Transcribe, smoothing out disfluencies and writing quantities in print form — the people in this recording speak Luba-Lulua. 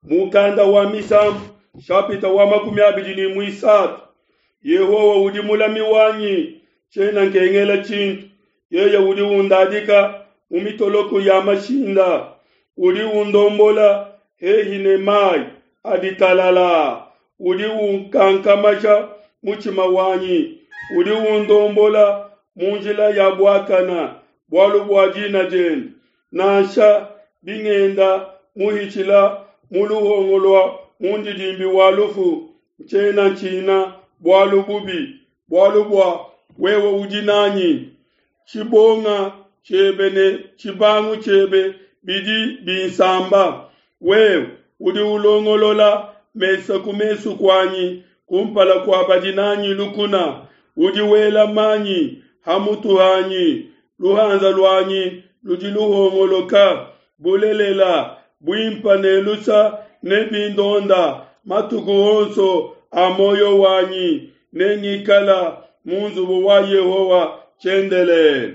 Mukanda wa Misambu shapita wa 23. Yehowa udi mulami wanyi, tshiena nkengela tshintu. Yeye udi undadika mu mitoloko ya mashinda, udi undombola hehi ne mayi adi talala, udi unkankamasha mutshima wanyi, udi undombola mu njila ya buakana bualu bua dina diende. Nansha bingenda muhitshila mu luhongo lua mundidimbi wa lufu, ntshiena ntshina bualu bubi, bualu bua wewe udi nanyi. Tshibonga tshiebe ne tshibangu tshiebe bidi binsamba. Wewe udi ulongolola mesa ku mesu kuanyi kumpala kua badi nanyi lukuna. Udi wela manyi ha mutu hanyi, luhanza luanyi ludi luhongoloka. Bulelela, buimpe ne lusa nebindonda matuku onso a muoyo wanyi, nengikala mu nzubu wa Yehowa tshiendelele.